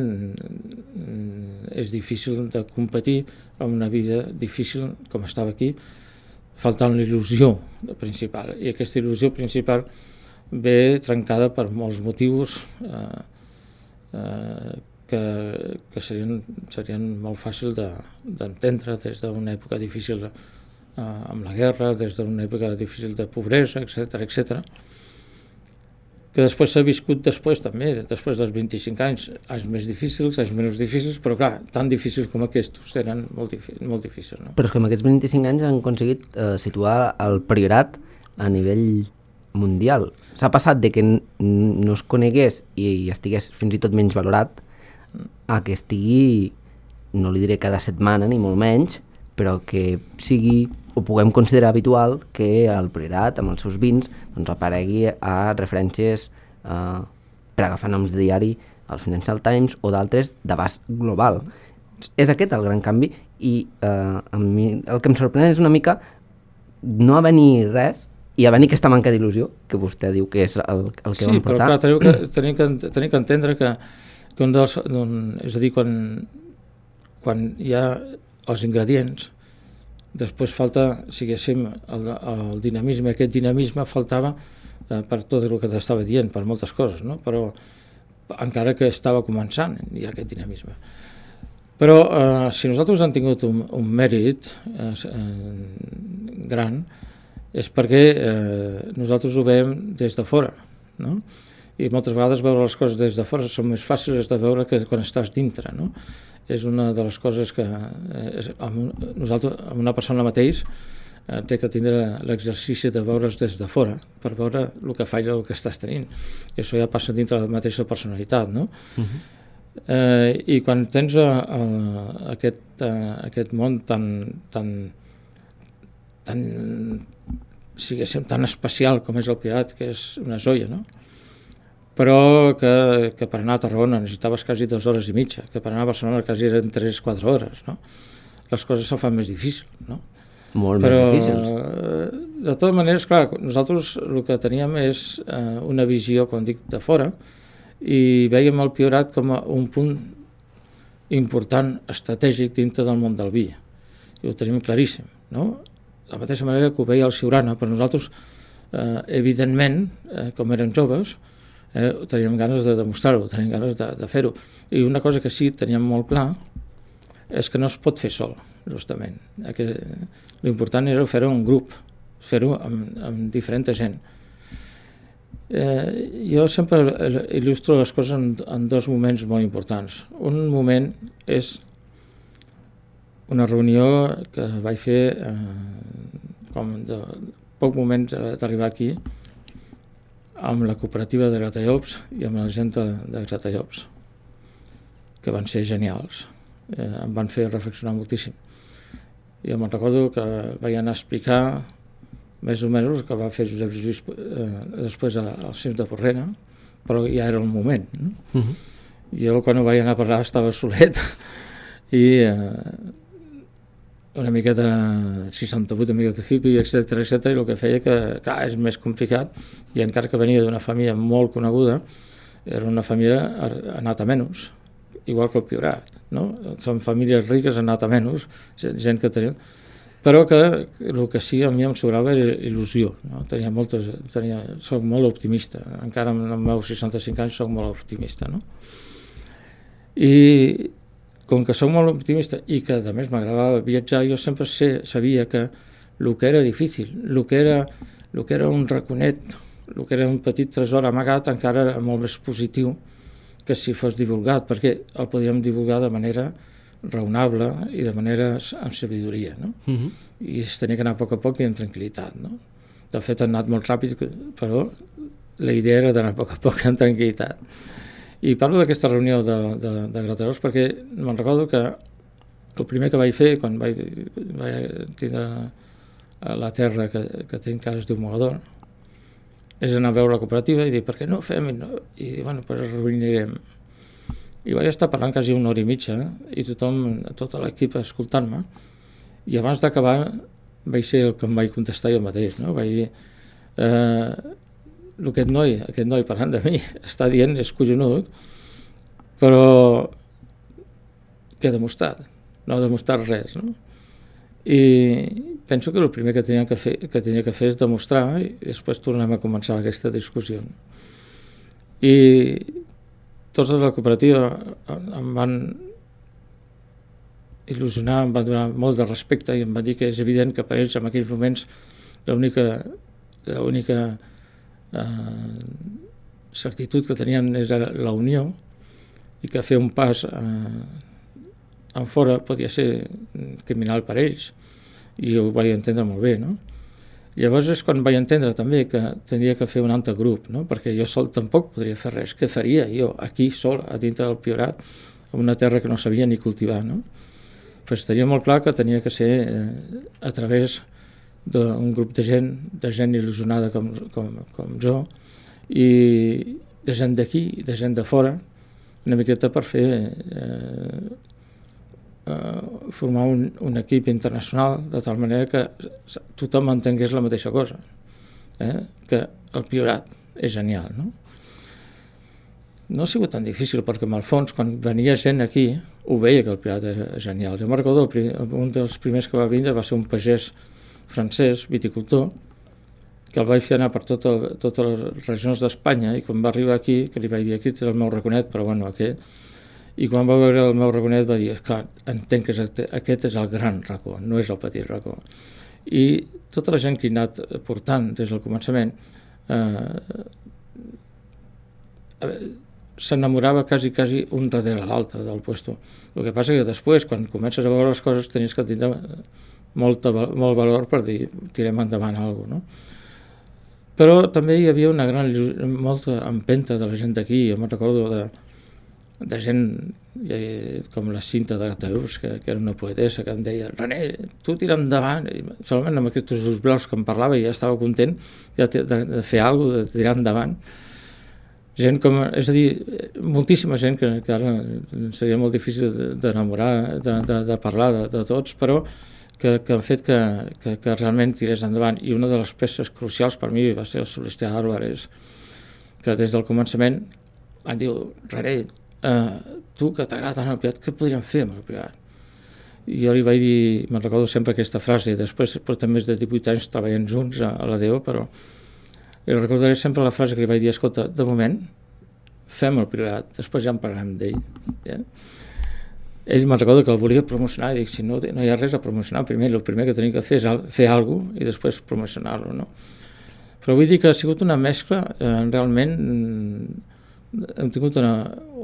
D: és difícil de competir amb una vida difícil com estava aquí, faltant l'il·lusió principal. I aquesta il·lusió principal ve trencada per molts motius eh, eh, que, que serien, serien molt fàcil d'entendre de, des d'una època difícil eh, amb la guerra, des d'una època difícil de pobresa, etcètera, etcètera, que després s'ha viscut després també, després dels vint-i-cinc anys, anys més difícils, anys menys difícils, però clar, tan difícils com aquests eren molt, molt difícils. No?
A: Però és que en aquests vint-i-cinc anys han aconseguit eh, situar el Priorat a nivell mundial. S'ha passat de que no es conegués i estigués fins i tot menys valorat a que estigui, no li diré cada setmana ni molt menys, però que sigui, ho puguem considerar habitual, que el Priorat amb els seus vins doncs, aparegui a referències eh, per agafar noms de diari, el Financial Times o d'altres d'abast global. És aquest el gran canvi i eh, a mi el que em sorprèn és una mica no haver-hi res i haver-hi aquesta manca d'il·lusió que vostè diu que és el, el que
D: sí,
A: vam portar.
D: Sí, però clar, tenim que, tenim que entendre que, que un dels, un, és a dir, quan, quan hi ha els ingredients, després falta, siguéssim, el, el dinamisme. Aquest dinamisme faltava eh, per tot el que t'estava dient, per moltes coses, no? Però encara que estava començant hi ha aquest dinamisme. Però eh, si nosaltres hem tingut un, un mèrit eh, eh, gran és perquè eh, nosaltres ho veiem des de fora, no? I moltes vegades veure les coses des de fora són més fàcils de veure que quan estàs dintre, no? És una de les coses que eh, amb, nosaltres, amb una persona mateix eh, té que tindre l'exercici de veure's des de fora per veure el que falla, el que estàs tenint. I això ja passa dintre la mateixa personalitat, no? Uh-huh. Eh, I quan tens a, a, aquest, a, aquest món tan, tan, tan, siguéssim, tan especial com és el Pirat, que és una joia, no? Però que, que per anar a Tarragona necessitaves quasi dues hores i mitja, que per anar a Barcelona quasi eren tres o quatre hores, no? Les coses se fan més difícils, no?
A: Molt
D: Però,
A: més difícils.
D: De totes maneres, clar, nosaltres el que teníem és eh, una visió, com dic, de fora, i veiem el Priorat com a un punt important, estratègic dintre del món del vi. I ho tenim claríssim, no? De la mateixa manera que ho veia el Siurana, però nosaltres, eh, evidentment, eh, com érem joves, eh, teníem ganes de demostrar-ho, teníem ganes de, de fer-ho. I una cosa que sí teníem molt clar és que no es pot fer sol, justament. L'important era fer-ho en grup, fer-ho amb, amb diferent gent. Eh, jo sempre il·lustro les coses en, en dos moments molt importants. Un moment és una reunió que vaig fer eh, com de poc moment d'arribar aquí amb la cooperativa de Gratallops i amb la gent de, de Gratallops, que van ser genials. Eh, em van fer reflexionar moltíssim. Jo me'n recordo que vaig anar a explicar més o menys el que va fer Josep Lluís eh, després al Cims de Porrera, però ja era el moment. No? Uh-huh. Jo quan ho vaig anar a parlar estava solet i eh, una miqueta seixanta-vuit, una miqueta hippie, etcètera, etcètera, i el que feia que, clar, és més complicat, i encara que venia d'una família molt coneguda, era una família anat a menys, igual que el Priorat, no? Són famílies riques anat a menys, gent que tenia, però que el que sí a mi em sobrava era il·lusió, no? Tenia moltes, tenia, soc molt optimista, encara amb els meus seixanta-cinc anys soc molt optimista, no? I com que soc molt optimista i que a més m'agradava viatjar, jo sempre sé, sabia que el que era difícil, el que era, el que era un raconet, el que era un petit tresor amagat, encara era molt més positiu que si fos divulgat, perquè el podíem divulgar de manera raonable i de manera amb sabidoria, no? Uh-huh. I es tenia que anar a poc a poc i amb tranquil·litat, no? De fet, ha anat molt ràpid, però la idea era d'anar a poc a poc amb tranquil·litat. I parlo d'aquesta reunió de, de, de Gratallops perquè me'n recordo que el primer que vaig fer quan vaig, vaig tindre la terra que, que tinc, que es diu Mogador, és anar a veure la cooperativa i dir, per què no ho fem? I, no? I bueno, doncs es reunirem. I vaig estar parlant quasi una hora i mitja i tothom, tota l'equip escoltant-me, i abans d'acabar vaig ser el que em vaig contestar jo mateix, no? Vaig dir, eh, aquest noi, aquest noi parlant de mi està dient, és collonut, però què ha demostrat? No ha demostrat res, no? I penso que el primer que tenia que fer, que tenia que fer és demostrar, i després tornem a començar aquesta discussió. I tots de la cooperativa em van il·lusionar, em van donar molt de respecte i em van dir que és evident que per ells en aquells moments l'única l'única eh, certitud que tenien era la unió i que fer un pas eh, en fora podia ser criminal per ells, i ho vaig entendre molt bé, no? Llavors és quan vaig entendre també que tenia que fer un altre grup, no? Perquè jo sol tampoc podria fer res. Què faria jo aquí sol a dintre del Priorat en una terra que no sabia ni cultivar, no? Pues tenia molt clar que tenia que ser eh, a través d'un grup de gent, de gent il·lusionada com, com, com jo, i, de gent d'aquí i de gent de fora, una miqueta per fer eh, eh, formar un, un equip internacional de tal manera que tothom entengués la mateixa cosa, eh? Que el Priorat és genial, no? No ha sigut tan difícil perquè en el fons quan venia gent aquí ho veia que el Priorat era genial. Jo me'n recordo un dels primers que va vindre va ser un pagès francès, viticultor, que el vaig fer anar per tot el, totes les regions d'Espanya i quan va arribar aquí, que li vaig dir aquest és el meu raconet, però bueno, aquest, i quan va veure el meu raconet va dir, esclar, entenc que aquest és el gran racó, no és el petit racó. I tota la gent que hi ha anat portant des del començament eh, s'enamorava quasi, quasi un darrere l'altre del puesto. El que passa que després, quan comences a veure les coses, tenies que tindre molta, molt valor per dir, tirem endavant alguna cosa, no? Però també hi havia una gran, molta empenta de la gent d'aquí. Jo me'n recordo de, de gent eh, com la Cinta de Gataus, que, que era una poetessa, que em deia, René, tu tira endavant. I solament amb aquests ulls blaus que em parlava ja estava content ja de, de fer alguna cosa, de tirar endavant. Gent com, és a dir, moltíssima gent que, que ara seria molt difícil d'enamorar, de, de, de parlar de, de tots, però que, que han fet que, que, que realment tirés endavant. I una de les peces crucials per mi va ser el Celestià Álvarez, que des del començament em diu, René, eh, tu que t'agrada tant el Priorat, què podríem fer amb el Priorat? I jo li vaig dir, me'n recordo sempre aquesta frase, després portem més de divuit anys treballant junts a, a la D E O, però i recordaré sempre la frase que li vaig dir, escolta, de moment fem el Priorat, després ja en parlarem d'ell. Ja? Ell me'n recorda que el volia promocionar i dic, si no, no hi ha res a promocionar, primer el primer que tenim que fer és fer alguna cosa i després promocionar-lo, no? Però vull dir que ha sigut una mescla, eh, realment hem tingut una,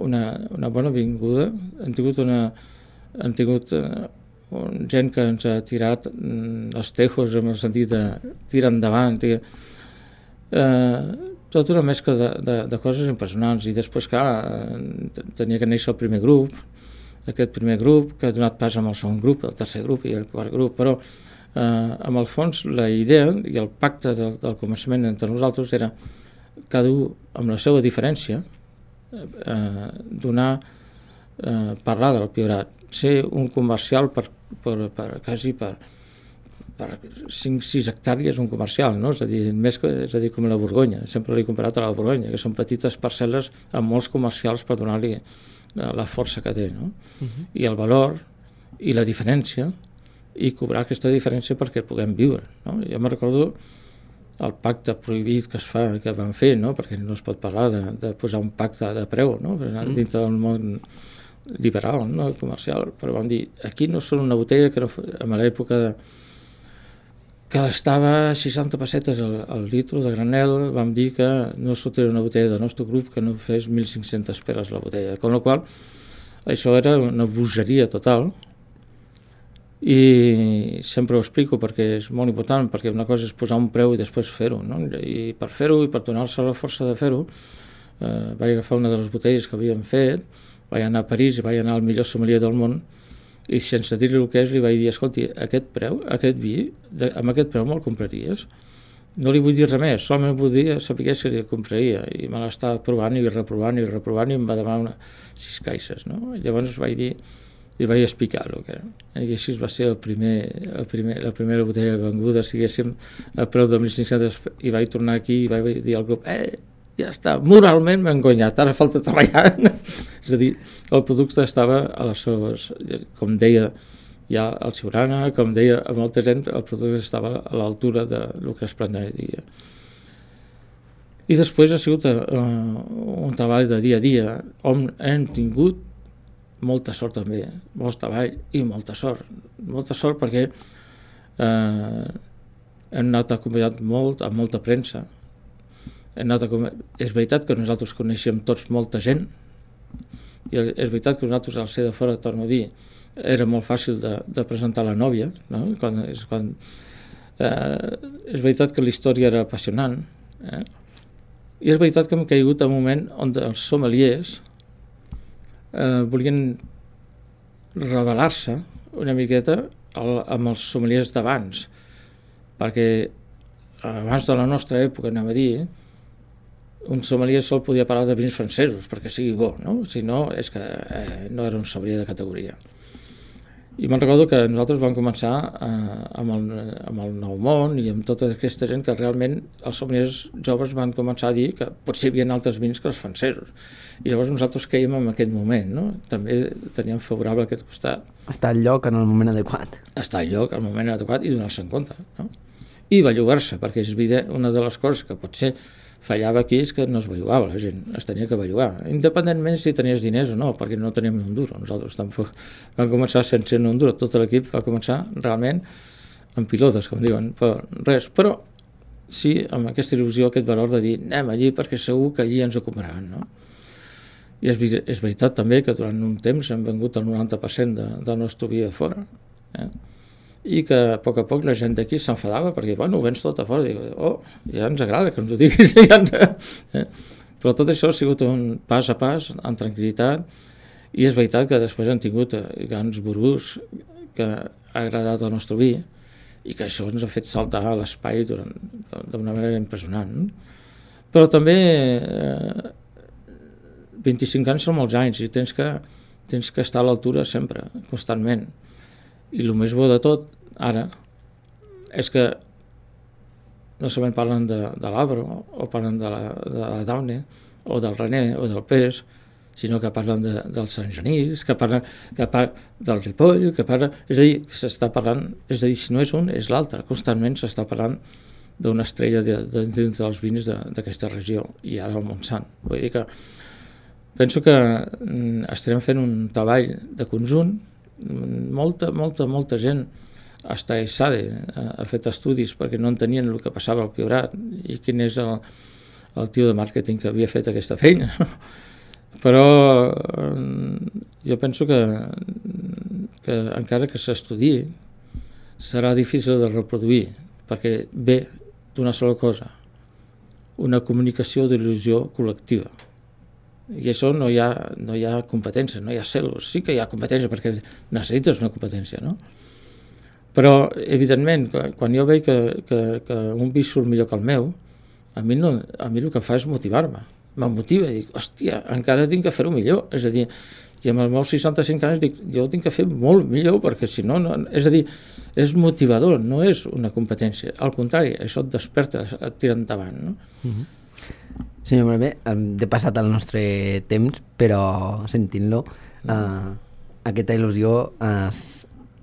D: una, una bona vinguda, hem tingut una hem tingut eh, un, gent que ens ha tirat mm, els tejos en el sentit de tirar endavant, tirar, eh, tota una mescla de, de, de coses impressionants. I després, clar, tenia que néixer el primer grup, aquest primer grup, que ha donat pas amb el segon grup, el tercer grup i el quart grup, però eh, amb el fons la idea i el pacte del, del començament entre nosaltres era cada un amb la seva diferència eh, donar, eh, parlar del Priorat, ser un comercial per, per, per quasi per, per cinc sis hectàrees un comercial, no? És a dir, més que, és a dir, com la Borgonya, sempre l'he comparat a la Borgonya, que són petites parcel·les amb molts comercials per donar-li la força que té, no? Uh-huh. I el valor i la diferència i cobrar aquesta diferència perquè puguem viure, no? Jo me recordo el pacte prohibit que es fa, que van fer, no? Perquè no es pot parlar de, de posar un pacte de preu, no? Uh-huh. Dintre del món liberal, no? Comercial, però van dir, aquí no són una botella que no, en l'època de que estava a seixanta pessetes al, al litro de granel, vam dir que no sortiria una botella del nostre grup que no fes mil cinc-centes peres la botella, amb la qual això era una bogeria total i sempre ho explico perquè és molt important, perquè una cosa és posar un preu i després fer-ho, no? I per fer-ho i per donar-se la força de fer-ho eh, vaig agafar una de les botelles que havíem fet, vaig anar a París i vaig anar al millor sommelier del món i sense dir-li el que és li vaig dir, escolti, aquest preu, aquest vi, de, amb aquest preu me'l compraries? No li vull dir res més, solament vull dir saber si li compraria, i me l'estava provant i reprovant i reprovant i em va demanar una, sis caixes, no? I llavors vaig dir, li vaig explicar el que era, i així va ser el primer, el primer, la primera botella venguda, siguéssim, a preu de mil cinc-cents, i vaig tornar aquí i vaig dir al grup, eh, ja està, moralment m'he engonyat, ara falta treballar. És a dir, el producte estava a les seves, com deia ja el Siurana, com deia a molta gent, el producte estava a l'altura del que es plantejaria. I després ha sigut uh, un treball de dia a dia, on hem tingut molta sort també, molt treball i molta sort. Molta sort perquè eh, hem anat acompanyat molt, amb molta premsa. És veritat que nosaltres coneixíem tots molta gent i és veritat que nosaltres al ser de fora, torno a dir, era molt fàcil de, de presentar la nòvia, no? Quan, és, quan, eh, és veritat que la història era apassionant, eh? I és veritat que hem caigut en un moment on els sommeliers eh, volien revelar-se una miqueta el, amb els sommeliers d'abans, perquè abans de la nostra època, anem a dir, un sommelier sol podia parlar de vins francesos perquè sigui bo, no? Si no, és que eh, no era un sommelier de categoria. I me'n recordo que nosaltres vam començar eh, amb, el, amb el Nou Món i amb tota aquesta gent que realment els sommeliers joves van començar a dir que potser hi havia altres vins que els francesos. I llavors nosaltres caiem en aquest moment, no? També teníem favorable aquest costat.
A: Estar al lloc en el moment adequat.
D: Estar al lloc en el moment adequat i donar-se en compte, no? I bellugar-se, perquè és evident, una de les coses que potser fallava aquí és que no es bellugava la gent, es tenia que bellugar, independentment si tenies diners o no, perquè no teníem ni un duro, nosaltres tampoc vam començar sense un duro, tot l'equip va començar realment amb pilotes, com diuen, però res, però sí amb aquesta il·lusió, aquest valor de dir anem allí perquè segur que allí ens ho compraran, no? I és, és veritat també que durant un temps hem vengut el noranta per cent de, del nostre vi de fora, eh? I que a poc a poc la gent d'aquí s'enfadava perquè, bueno, ho vens tot a fora, dic, oh, ja ens agrada que ens ho diguis, ja ens... eh? Però tot això ha sigut un pas a pas, en tranquil·litat, i és veritat que després han tingut grans burús que ha agradat el nostre vi i que això ens ha fet saltar a l'espai d'una manera impressionant. Però també eh, vint-i-cinc anys són molts anys i tens que, tens que estar a l'altura sempre, constantment. I el més bo de tot, ara, és que no solament parlen de, de l'Abro, o parlen de la, de la Daune, o del René, o del Pérez, sinó que parlen de, del Sant Genís, que parlen, que parlen del Ripoll, que parlen... És a dir, s'està parlant... És a dir, si no és un, és l'altre. Constantment s'està parlant d'una estrella de, de, de, dels vins d'aquesta regió, i ara el Montsant. Vull dir que penso que estarem fent un treball de conjunt. Molta, molta, molta gent hasta Sade ha fet estudis perquè no entenien el que passava al Priorat i quin és el, el tio de màrqueting que havia fet aquesta feina. Però jo penso que, que encara que s'estudiï serà difícil de reproduir perquè ve d'una sola cosa, una comunicació d'il·lusió col·lectiva. I això no hi ha, no hi ha competència, no hi ha cel·los. Sí que hi ha competència perquè necessites una competència, no? Però, evidentment, quan jo veig que, que, que un vi surt millor que el meu, a mi, no, a mi el que fa és motivar-me. Me'n motiva i dic, hòstia, encara tinc que fer-ho millor. És a dir, i amb els meus seixanta-cinc anys dic, jo ho tinc que fer molt millor perquè si no, no... És a dir, és motivador, no és una competència. Al contrari, això et desperta, et tira endavant, no?
A: Mm-hmm. Senyor Malvé, hem passat el nostre temps, però sentint-lo, eh, aquesta il·lusió es,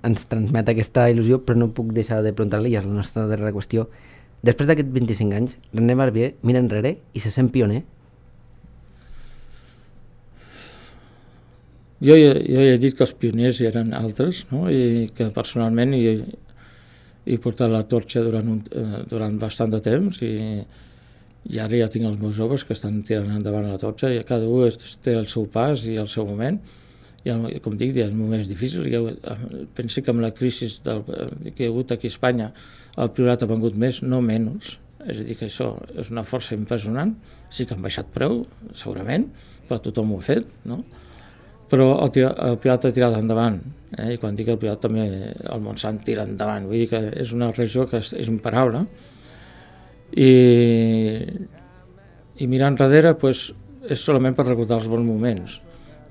A: ens transmet aquesta il·lusió, però no puc deixar de preguntar-li, ja és la nostra darrera qüestió. Després d'aquests vint-i-cinc anys, René Barbier mira enrere i se sent pioner?
D: Jo, jo, jo he dit que els pioners hi eren altres, no? I que personalment hi he, he portat la torxa durant, un, eh, durant bastant de temps i i ara ja tinc els meus joves que estan tirant endavant la torxa i cada un té el seu pas i el seu moment i el, com dic, hi ha moments difícils. Jo penso que amb la crisi del, que hi ha hagut aquí a Espanya el Priorat ha vengut més, no menys, és a dir que això és una força impressionant. Sí que han baixat preu, segurament, però tothom ho ha fet, no? Però el, el Priorat ha tirat endavant, eh? I quan dic el Priorat també el Montsant tira endavant, vull dir que és una regió que és, és imparable. I, i mirar enrere pues, és solament per recordar els bons moments,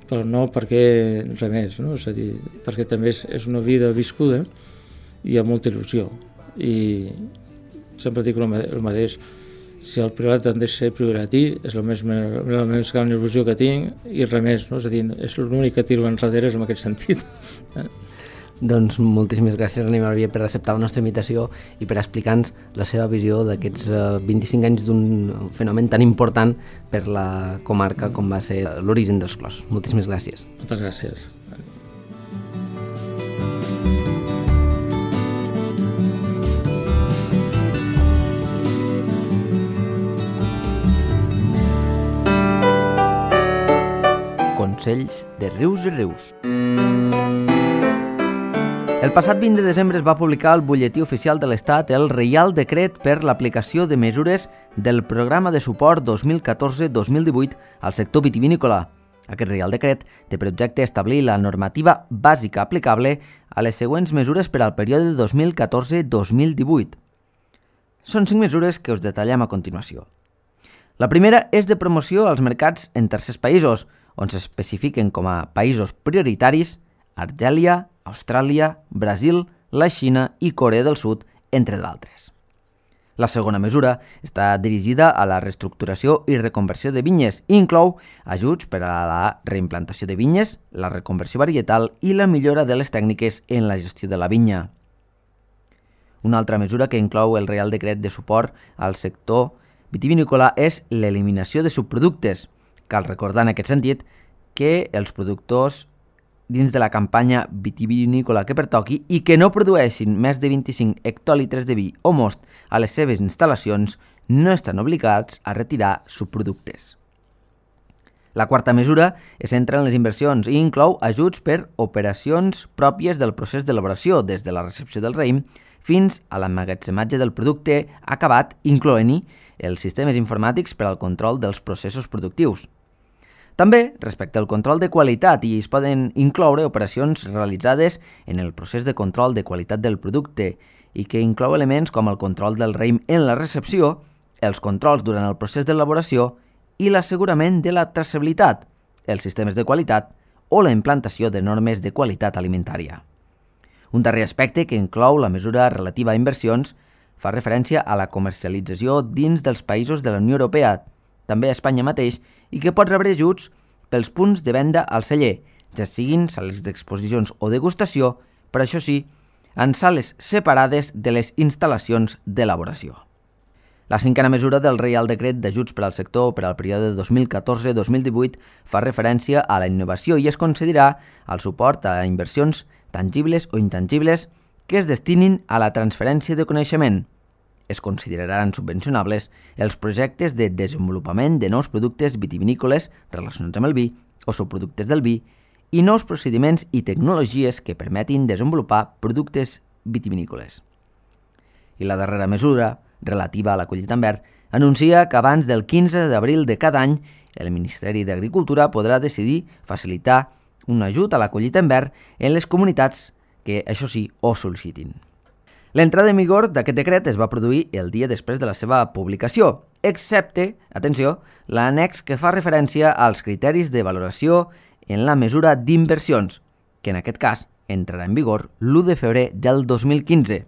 D: però no perquè res més, no? És a dir, perquè també és, és una vida viscuda i amb molta il·lusió. I sempre dic el mateix, si el Priorat han de ser prioratí, és la més, la més gran il·lusió que tinc i res més, no? És a dir, és l'únic que tiro enrere és en aquest sentit.
A: Doncs moltíssimes gràcies, René Barbier, per acceptar la nostra invitació i per explicar-nos la seva visió d'aquests vint-i-cinc anys d'un fenomen tan important per la comarca com va ser l'origen dels Clos. Moltíssimes gràcies.
D: Moltes gràcies.
A: Consells de Rius i Rius. El passat vint de desembre es va publicar al butlletí oficial de l'Estat el Reial Decret per l'aplicació de mesures del Programa de Suport dos mil catorze dos mil divuit al sector vitivinícola. Aquest Reial Decret té per objecte establir la normativa bàsica aplicable a les següents mesures per al període dos mil catorze dos mil divuit. Són cinc mesures que us detallem a continuació. La primera és de promoció als mercats en tercers països, on s'especifiquen com a països prioritaris Argèlia, Austràlia, Brasil, la Xina i Corea del Sud, entre d'altres. La segona mesura està dirigida a la reestructuració i reconversió de vinyes i inclou ajuts per a la reimplantació de vinyes, la reconversió varietal i la millora de les tècniques en la gestió de la vinya. Una altra mesura que inclou el Reial Decret de suport al sector vitivinícola és l'eliminació de subproductes. Cal recordar en aquest sentit que els productors dins de la campanya vitivinícola que pertoqui i que no produeixin més de vint-i-cinc hectòlitres de vi o most a les seves instal·lacions no estan obligats a retirar subproductes. La quarta mesura es centra en les inversions i inclou ajuts per operacions pròpies del procés d'elaboració, des de la recepció del raïm fins a l'emmagatzematge del producte acabat, incloent-hi els sistemes informàtics per al control dels processos productius. També, respecte al control de qualitat, i es poden incloure operacions realitzades en el procés de control de qualitat del producte i que inclou elements com el control del raïm en la recepció, els controls durant el procés d'elaboració i l'assegurament de la traçabilitat, els sistemes de qualitat o la implantació de normes de qualitat alimentària. Un darrer aspecte que inclou la mesura relativa a inversions fa referència a la comercialització dins dels països de la Unió Europea, també a Espanya mateix, i que pot rebre ajuts pels punts de venda al celler, ja siguin sales d'exposicions o degustació, però això sí, en sales separades de les instal·lacions d'elaboració. La cinquena mesura del Reial Decret d'Ajuts per al sector per al període dos mil catorze dos mil divuit fa referència a la innovació i es concedirà el suport a inversions tangibles o intangibles que es destinin a la transferència de coneixement. Es consideraran subvencionables els projectes de desenvolupament de nous productes vitivinícoles relacionats amb el vi o subproductes del vi i nous procediments i tecnologies que permetin desenvolupar productes vitivinícoles. I la darrera mesura, relativa a la collita en verd, anuncia que abans del quinze d'abril de cada any el Ministeri d'Agricultura podrà decidir facilitar un ajut a la collita en verd en les comunitats que, això sí, ho sol·licitin. L'entrada en vigor d'aquest decret es va produir el dia després de la seva publicació, excepte, atenció, l'annex que fa referència als criteris de valoració en la mesura d'inversions, que en aquest cas entrarà en vigor l'u de febrer del dos mil quinze.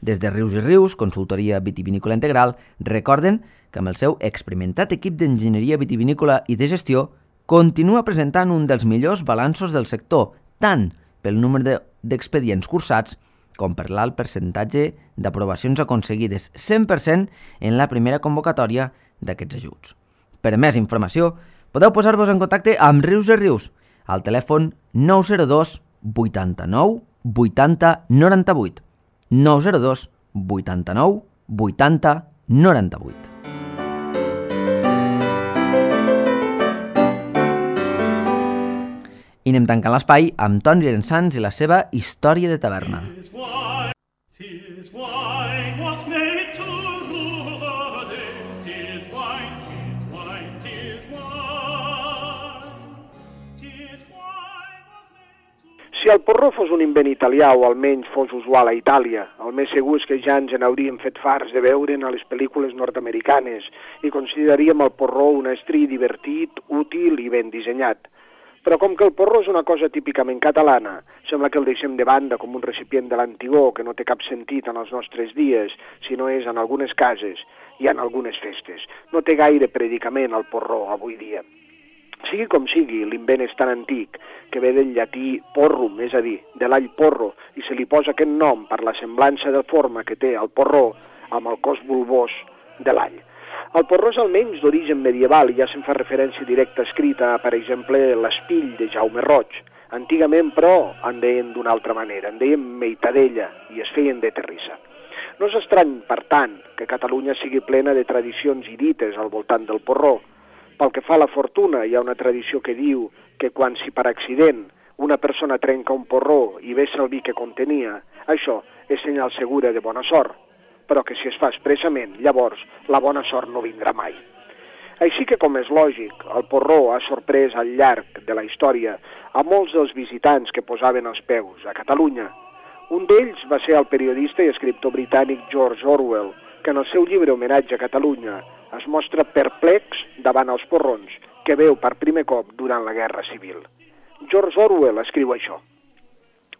A: Des de Rius i Rius, consultoria vitivinícola integral, recorden que amb el seu experimentat equip d'enginyeria vitivinícola i de gestió continua presentant un dels millors balanços del sector, tant pel número d'expedients cursats com per l'alt percentatge d'aprovacions aconseguides cent per cent en la primera convocatòria d'aquests ajuts. Per més informació, podeu posar-vos en contacte amb Rius i Rius al telèfon nou zero dos vuitanta-nou vuitanta noranta-vuit, nou zero dos vuitanta-nou vuitanta noranta-vuit. I anem tancant l'espai amb Toni Llorensans i la seva història de taverna.
E: Si el porró fos un invent italià o almenys fos usual a Itàlia, el més segur és que ja ens n'hauríem fet farts de veure'n a les pel·lícules nord-americanes i consideraríem el porró un estri divertit, útil i ben dissenyat. Però com que el porró és una cosa típicament catalana, sembla que el deixem de banda com un recipient de l'antigó que no té cap sentit en els nostres dies, si no és en algunes cases i en algunes festes. No té gaire predicament el porró avui dia. Sigui com sigui, l'invent és tan antic que ve del llatí porrum, és a dir, de l'all porro, i se li posa aquest nom per la semblança de forma que té el porró amb el cos bulbós de l'all. El porró és almenys d'origen medieval i ja se'n fa referència directa escrita a, per exemple, l'Espill de Jaume Roig. Antigament, però, en deien d'una altra manera, en deien meitadella i es feien de terrissa. No és estrany, per tant, que Catalunya sigui plena de tradicions i dites al voltant del porró. Pel que fa a la fortuna, hi ha una tradició que diu que quan si per accident una persona trenca un porró i vessa el vi que contenia, això és senyal segura de bona sort, però que si es fa expressament, llavors la bona sort no vindrà mai. Així que, com és lògic, el porró ha sorprès al llarg de la història a molts dels visitants que posaven els peus a Catalunya. Un d'ells va ser el periodista i escriptor britànic George Orwell, que en el seu llibre Homenatge a Catalunya es mostra perplex davant els porrons que veu per primer cop durant la Guerra Civil. George Orwell escriu això.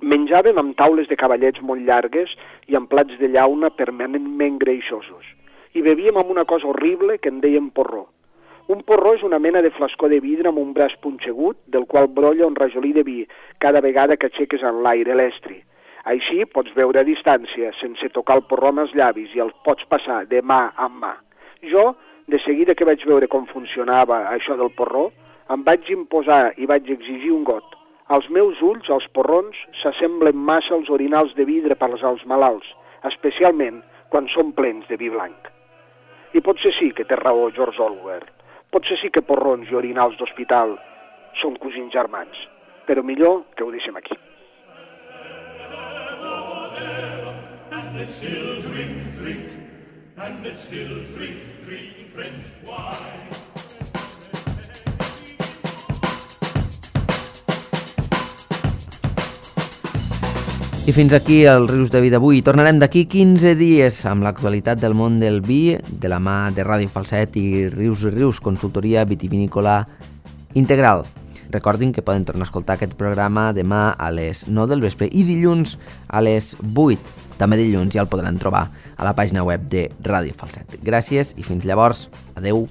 E: Menjàvem amb taules de cavallets molt llargues i amb plats de llauna permanentment greixosos. I bevíem amb una cosa horrible que en dèiem porró. Un porró és una mena de flascó de vidre amb un braç punxegut del qual brolla un rajolí de vi cada vegada que aixeques en l'aire l'estri. Així pots beure a distància sense tocar el porró amb els llavis i el pots passar de mà en mà. Jo, de seguida que vaig veure com funcionava això del porró, em vaig imposar i vaig exigir un got. Als meus ulls, els porrons s'assemblen massa als orinals de vidre per als malalts, especialment quan són plens de vi blanc. I potser sí que té raó George Orwell. Potser sí que porrons i orinals d'hospital són cosins germans, però millor que ho deixem aquí.
F: And let's still drink, drink, and let's still drink, drink French wine.
A: I fins aquí el Rius de Vi d'avui. Tornarem d'aquí quinze dies amb l'actualitat del món del vi, de la mà de Ràdio Falset i Rius i Rius, consultoria vitivinícola integral. Recordin que poden tornar a escoltar aquest programa demà a les nou del vespre i dilluns a les vuit. També dilluns ja el podran trobar a la pàgina web de Ràdio Falset. Gràcies i fins llavors. Adeu.